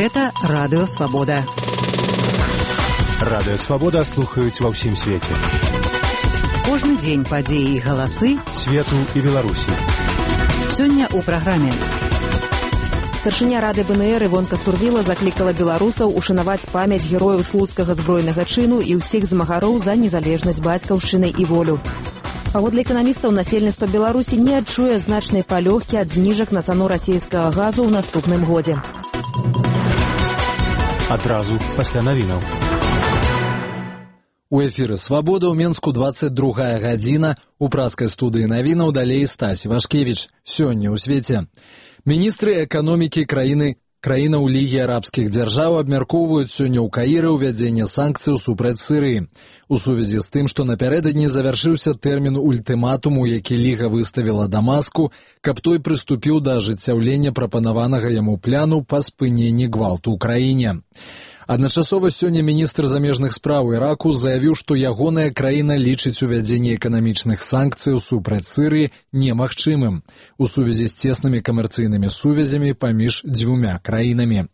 Гэта Радыё Свабода. Радыё Свабода слухаюць ва ўсім свеце. Кожны дзень падзеі і галасы свету і Беларусі. Сёння ў праграме. Старшыня Рады БНР Івонка Сурвіла заклікала беларусаў ушанаваць памяць герояў слуцкага збройнага чыну і ўсіх змагароў за незалежнасць бацькаўшчыны і волю. Паводле эканамістаў, насельніцтва Беларусі не адчуе значнай палёгкі ад зніжак на цану расійскага газу ў наступным годзе. Адразу пасля навінаў. У эфіры «Свабода» ў Менску 22 гадзіна. У праскай студыі навінаў далей Стась Вашкевіч. Сёння ў свеце. Міністры эканомікі краінаў Лігі арабскіх дзяржаў абмяркоўваюць сёння ў Каіры ўвядзенне санкцыяў супраць Сірыі. У сувязі з тым, што напярэдадні завяршыўся тэрмін ультыматуму, які Ліга выставіла Дамаску, каб той прыступіў да ажыццяўлення прапанаванага яму пляну па спыненні гвалту ў краіне. Адначасова сёння міністр замежных спраў Іраку заявіў, што ягоная краіна лічыць увядзенне эканамічных санкцыяў супраць Сірыі немагчымым у сувязі з цеснымі камерцыйнымі сувязямі паміж дзвюма краінамі.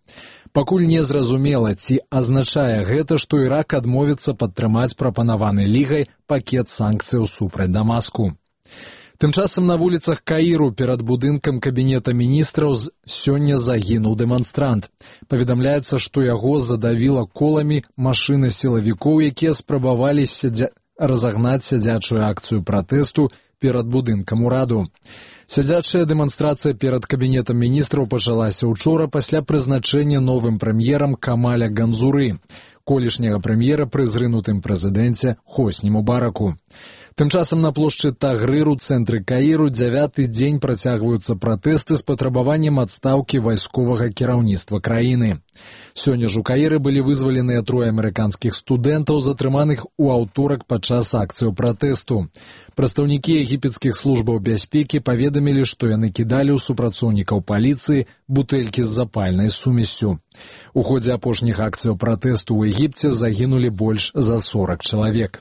Пакуль не зразумела, ці азначае гэта, што Ірак адмовіцца падтрымаць прапанаваны Лігай пакет санкцыяў супраць Дамаску. Тым часам на вуліцах Каіру перад будынкам кабінета міністраў сёння загінуў дэманстрант. Паведамляецца, што яго задавіла коламі машына сілавікоў, якія спрабавалі разагнаць сядзячую акцыю пратэсту перад будынкам ураду. Сядзячая дэманстрацыя перад кабінетам міністраў пачалася ўчора пасля прызначэння новым прэм'ерам Камаля Ганзуры, колішняга прэм'ера пры зрынутым прэзідэнце Хосні Мубараку. Тым часам на плошчы Тагрыр у цэнтры Каіру 9-й дзень працягваюцца пратэсты з патрабаваннем адстаўкі вайсковага кіраўніцтва краіны. Сёння ж у Каіры былі вызваленыя 3 амерыканскіх студэнтаў, затрыманых у аўторак падчас акцыяў пратэсту. Прадстаўнікі егіпецкіх службаў бяспекі паведамілі, што яны кідалі ў супрацоўнікаў паліцыі бутэлькі з запальнай сумессю. У ходзе апошніх акцыяў пратэсту ў Егіпце загінулі больш за 40 чалавек.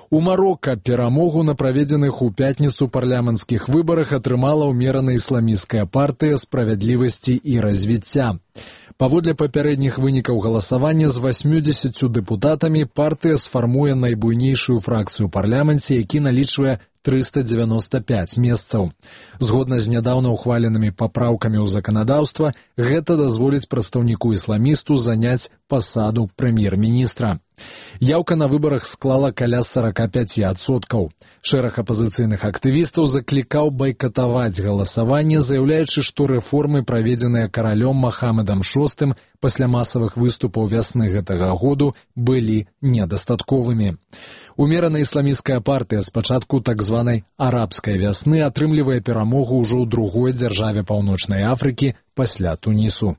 У Марока перамогу на праведзеных у пятніцу парламенцкіх выбарах атрымала ўмерана ісламісцкая партыя справядлівасці і развіцця. Паводле папярэдніх вынікаў галасавання з 80 дэпутатамі партыя сфармуе найбуйнейшую фракцыю ў парламенце, які налічвае 395 месцаў. Згодна з нядаўна ухваленымі папраўкамі ў заканадаўства, гэта дазволіць прадстаўніку ісламісту заняць пасаду прэм'ер-міністра. Яўка на выбарах склала каля 45%. Шэраг апазіцыйных актывістаў заклікаў байкатаваць галасаванне, заяўляючы, што рэформы, праведзеныя каралём Махамедам VI пасля масавых выступаў вясны гэтага году, былі недастатковымі. Умерана ісламісцкая партыя з пачатку так званай арабскай вясны атрымлівае перамогу ўжо ў другой дзяржаве Паўночнай Афрыкі пасля Тунісу.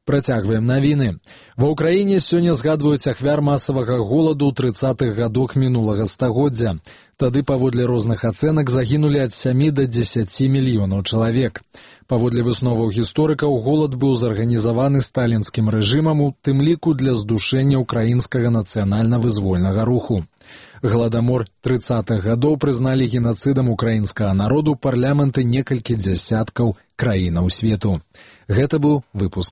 Працягваем навіны. Ва ўкраіне сёння згадваюць ахвяр масавага голаду ў 30-х гадах мінулага стагоддзя. Тады, паводле розных ацэнак, загінулі ад 7 да 10 мільёнаў чалавек. Паводле высноваў гісторыкаў, голад быў зарганізаваны сталінскім рэжымам, у тым ліку для здушэння ўкраінскага нацыянальна-вызвольнага руху. Гладамор 30-х гадоў прызналі генацыдам украінскага народу парламенты некалькі дзясяткаў краінаў свету. Гэта быў выпуск